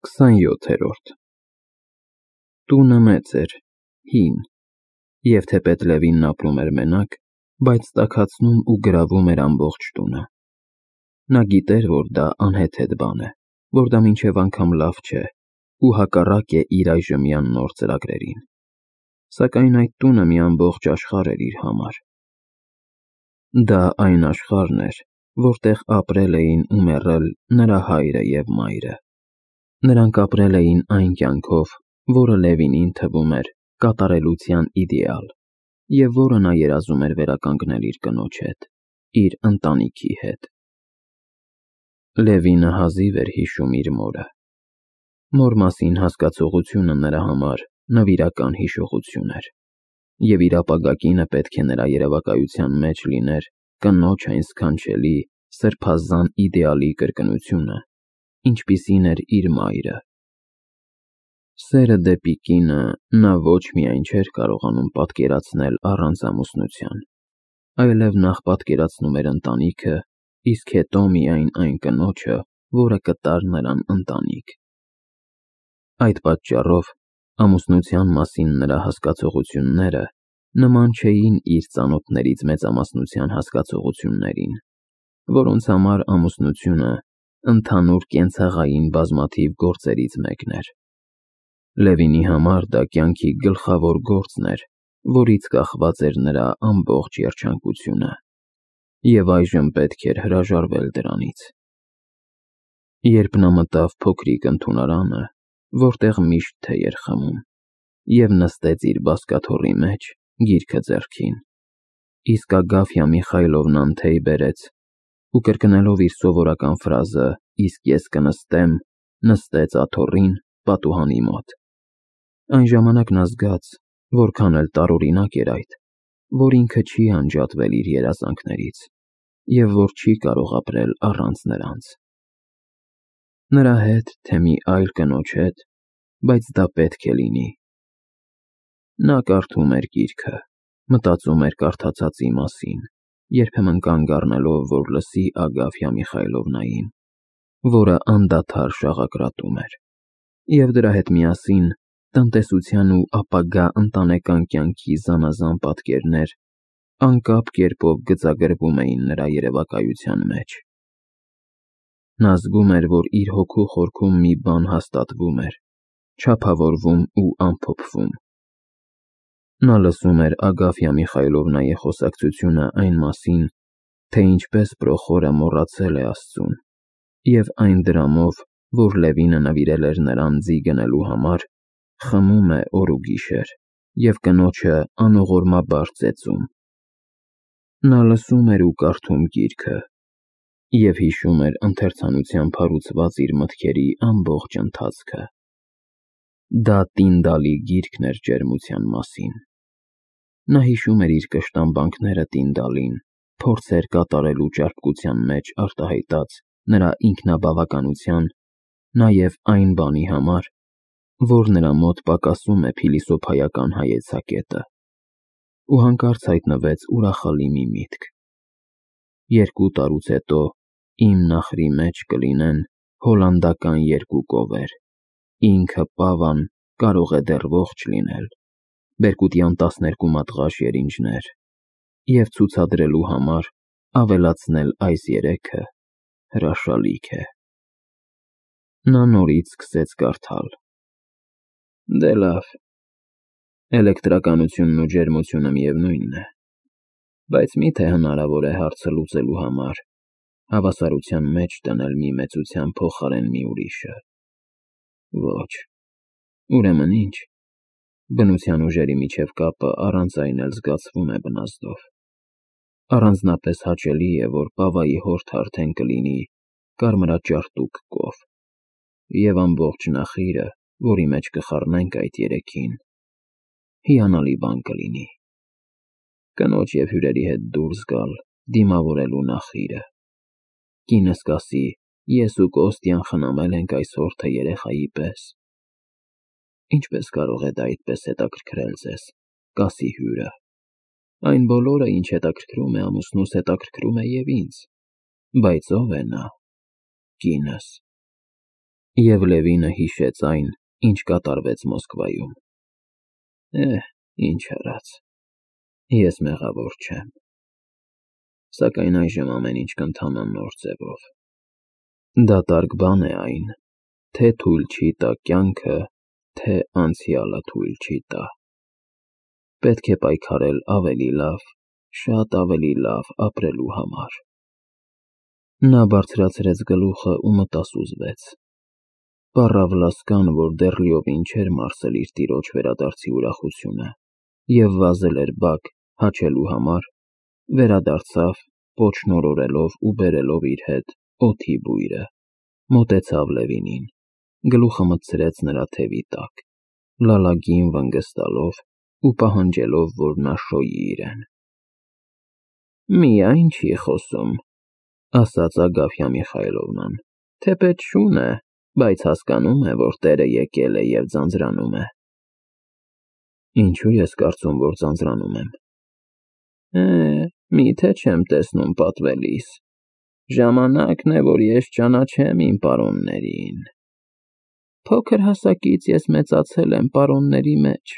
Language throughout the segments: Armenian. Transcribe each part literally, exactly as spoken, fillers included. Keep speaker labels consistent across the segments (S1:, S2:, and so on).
S1: քսանյոթերորդ Տունը մեծ էր, հին, և թեպետ Լևինն ապրում էր մենակ, բայց տաքացնում ու գրավում էր ամբողջ տունը։ Նա գիտեր, որ դա անհեթեթ բան է, որ դա մինչև անգամ լավ չէ ու հակառակ է իր այժմյան նոր ծրագրերին, սակայն այդ տունը մի ամբողջ աշխարհ էր իր համար։ Դա այն աշխարհն էր, որտեղ ապրել էին ու մեռել նրա հայրը և մայրը։ Նրանք ապրել էին այն կյանքով, որը Լևինին թվում էր կատարելության իդեալ, և որը նա երազում էր վերականգնել իր կնոջ հետ, իր ընտանիքի հետ։ Լևինը հազիվ էր հիշում իր մորը։ Մոր մասին հասկացողությունը նրա համար նվիրական հիշողություն էր, և իր ապագա կինը պետք է նրա երևակայության մեջ լիներ կնոջ այն սքանչելի, սրբազան իդեալի կրկնությունը, ինչպիսին էր իր մայրը։ Սերը դեպի կինը նա ոչ միայն չէր կարողանում պատկերացնել առանց ամուսնության, այլև նախ պատկերացնում էր ընտանիքը, իսկ հետո միայն այն կնոջը, որը կտար նրան ընտանիք։ Այդ պատճառով ամուսնության մասին նրա հասկացողությունները նման չէին իր ծանոթներից մեծամասնության հասկացողություններին, որոնց համար ամուսնությունը ընդհանուր կենցաղային բազմաթիվ գործերից մեկն էր։ Լևինի համար դա կյանքի գլխավոր գործն էր, որից կախված էր նրա ամբողջ երջանկությունը, և այժմ պետք էր հրաժարվել դրանից։ Երբ նա մտավ փոքրիկ ընդունարանը, որտեղ միշտ թեյ էր խմում, և նստեց իր բազկաթոռի մեջ, գիրքը ձեռքին, իսկ Ագաֆյա Միխայլովնան թեյ բերեց ու, կրկնելով իր սովորական ֆրազը «Իսկ ես կնստեմ», նստեց աթոռին պատուհանի մոտ։ Այն ժամանակ նա զգաց, որքան էլ տարօրինակ էր այդ, որ ինքը չի անջատվել իր երազանքներից, և որ չի կարող ապրել առանց նրանց։ Նրա հետ, թե մի այլ կնոջ հետ, բայց դա պետք է լինի։ Նա կարդում էր գիրքը, մտածում էր կարդացածի մասին, երբեմն կանգ առնելով, որ լսի Ագաֆյա Միխայլովնային, որը անդադար շաղակրատում էր, և դրա հետ միասին տնտեսության ու ապագա ընտանեկան կյանքի զանազան պատկերներ անկապ կերպով գծագրվում էին նրա երևակայության մեջ։ Նա զգում էր, որ իր հոգու խորքում մի բան հաստատվում էր, չափավորվում ու ամփոփվում։ Նա լսում էր Ագաֆյա Միխայլովնայի խոսակցությունը այն մասին, թե ինչպես Պրոխորը մոռացել է Աստծուն, և այն դրամով, որ Լևինը նվիրել էր նրան ձի գնելու համար, խմում է օր ու գիշեր և կնոջը անողորմաբար ծեծում։ Նա լսում էր ու կարդում գիրքը և հիշում էր ընթերցանությամբ հարուցված իր մտքերի ամբողջ ընթացքը։ Դա Տինդալի գիրքն էր ջերմության մասին։ Նա հիշում էր իր կշտամբանքները Տինդալին, փորձեր կատարելու ճարպկության մեջ արտահայտած նրա ինքնաբավականության, նաև այն բանի համար, որ նրա մոտ պակասում է փիլիսոփայական հայեցակետը, ու հանկարծ հայտնվեց ուրախալի մի միտք. երկու տարուց հետո իմ նախրի մեջ կլինեն հոլանդական երկու կովեր, ինքը Պավան կարող է դեռ ողջ լինել, բերկուտյան տասներկու մատղաշ երինջներ, և ցուցադրելու համար ավելացնել այս երեքը հրաշալիք է։ Նա նորից սկսեց կարդալ. Դե լավ, էլեկտրականությունն ու ջերմությունը միևնույնն է, բայց մի՞թե հնարավոր է հարցը լուծելու համար հավասարության մեջ դնել մի մեծության փոխարեն մի ուրիշը։ Ոչ, ուրեմն ի՞նչ։ Բնության ուժերի միջև կապը առանց այն էլ զգացվում է բնազդով։ Առանձնապես հաճելի է, որ Պավայի հորթը արդեն կլինի կարմրաճարտուկ կով, և ամբողջ նախիրը, որի մեջ կխառնենք այդ երեքին, հիանալի բան կլինի։ Կնոջ և հյուրերի հետ դուրս գալ, դիմավորելու նախիրը։ Կինս կասի. ես ու Կոստյան խնամել ենք այս հորթը երեխայի պես։ Ինչպե՞ս կարող է դա այդպես հետաքրքրել ձեզ, կասի հյուրը։ Այն բոլորը, ինչ հետաքրքրում է ամուսնուս, հետաքրքրում է և ինձ, բայց ո՞վ է նա։ Կինս։ Եվ Լևինը հիշեց այն, ինչ կատարվեց Մոսկվայում։ Էհ, ինչ արած, ես մեղավոր չեմ, սակայն այժմ ամեն ինչ կընթանա նոր ձևով։ Դատարկ բան է այն, թե թույլ չի տա կյանքը, թե անցյալը թույլ չի տա։ Պետք է պայքարել ավելի լավ, շատ ավելի լավ ապրելու համար։ Նա բարձրացրեց գլուխը ու մտասուզվեց։ Պառավ Լասկան, որ դեռ լիովին չէր մարսել իր տիրոջ վերադարձի ուրախությունը և վազել էր բակ հաչելու համար, վերադարձավ, պոչնորորելով ու բերելով իր հետ օդի բույրը, մոտեցավ Լևինին, գլուխը մտցրեց նրա թևի տակ, լալագին վնգստալով ու պահանջելով, որ նա շոյի իրեն։ Միայն չի խոսում, ասաց Ագաֆյա Միխայլովնան, թեպետ շուն է, բայց հասկանում է, որ տերը եկել է և ձանձրանում է։ Ինչու ես կարծում, որ ձանձրանում եմ։ Է, միթե չեմ տեսնում պատվելիս, ժամանակն է, որ ես ճանաչեմ իմ պարոններին։ Փոքր հասակից ես մեծացել եմ պարոնների մեջ։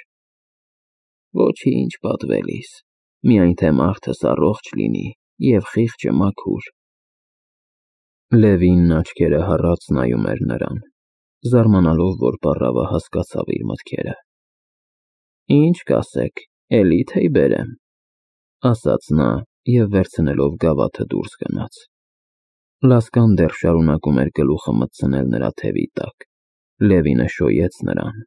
S1: Ոչինչ պատվելիս, միայն թե մարդս առողջ լինի և խիղճը մաքուր։ Լևինն աչքերը հառած նայում էր նրան, զարմանալով, որ պառավը հասկացավ իր մտքերը։ Ինչ կասեք, էլի թեյ բերեմ, ասաց նա և վերցնելով գավաթը դուրս գնաց։ Լասկան դեռ շարունակում էր գլուխը մտցնել նրա թևի տակ։ Լևինը շոյեց նրան,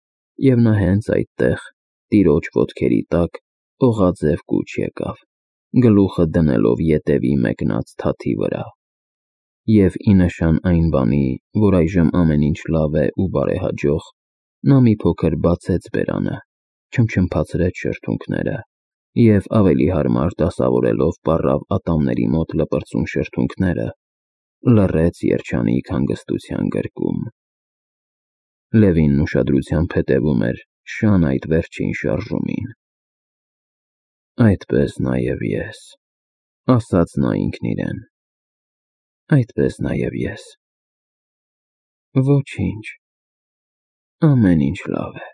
S1: և նա հենց այդտեղ, տիրոջ ոտքերի տակ, օղաձև կուչ եկավ, գլուխը դնելով ետևի մեկնած թաթի վրա։ Եվ ի նշան այն բանի, որ այժմ ամեն ինչ լավ է ու բարեհաջող, նա մի փոքր բացեց բերանը, չմչմփացրեց շրթունքները և ավելի հարմար դասավորելով պառավ ատամների մոտ լպրծուն շրթունքները, լռեց երջանիկ հանգստության գրկում։ Լևինն ուշադրությամբ հետևում էր շան այդ վերջին շարժումին։ Այդպես նաև ես, ասաց նա ինքն իրեն, այդպես նաև ես։ Ոչինչ, ամեն ինչ լավ է։